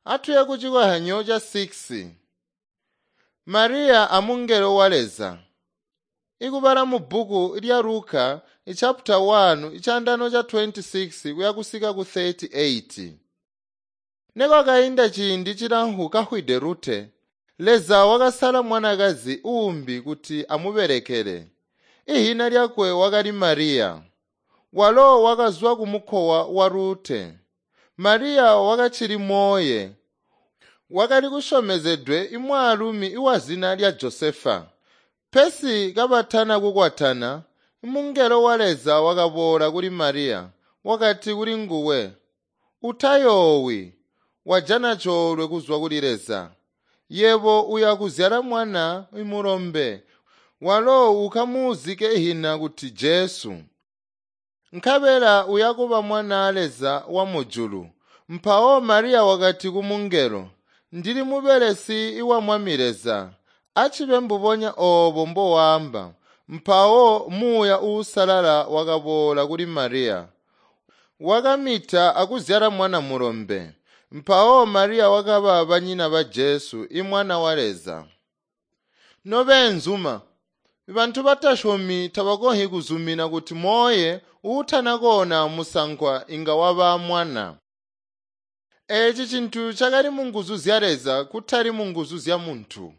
Atuye ku cikozyanyo ca 6. Mariya amungelo wa Leza. Ikubala mu bbuku lya Luka chapter 1 chandano cha 26 kuya kusika ku 38. Nekwakainda ciindi cilamfu kafwide Rute, Leza wakasala mwanakazi uumbi kuti amubelekele. Ihina lyakwe wakali Mariya. Walo wakazwa ku mukowa wa Rute. Mariya wakacili moye. Wakali kusyomezedwe imwaalumi iwazina lya Josefa. Pesi kabatana kukwatana, mungelo wa Leza wakaboola kuli Mariya, wakati kuli nguwe, "Utayoowi, wajana coolwe kuzwa kuli Leza. Yebo uya kuzyala mwana mulombe, walo ukamuuzike ihina kuti Jesu. Nkabela uya kuba mwanaa Leza wa mujulu." Mpawo Mariya wakati kumungelo, "Ndili mubelesi wa Mwami Leza, acibe mbubonya oobo mbowaamba." Mpawo Muuya Uusalala wakaboola kuli Mariya. Wakamita akuzyala mwana mulombe. Mpawo Mariya wakaba banyina ba Jesu, imwana wa Leza. Nobeenzuma, bantu batasyomi tabakonzyi kuzumina kuti moye uutana koona musankwa inga waba mwana. Eeci cintu cakali munguzu zya Leza kutali munguzu zya muntu.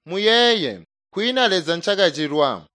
Muyeeye, kwiina Leza ncakacilwa.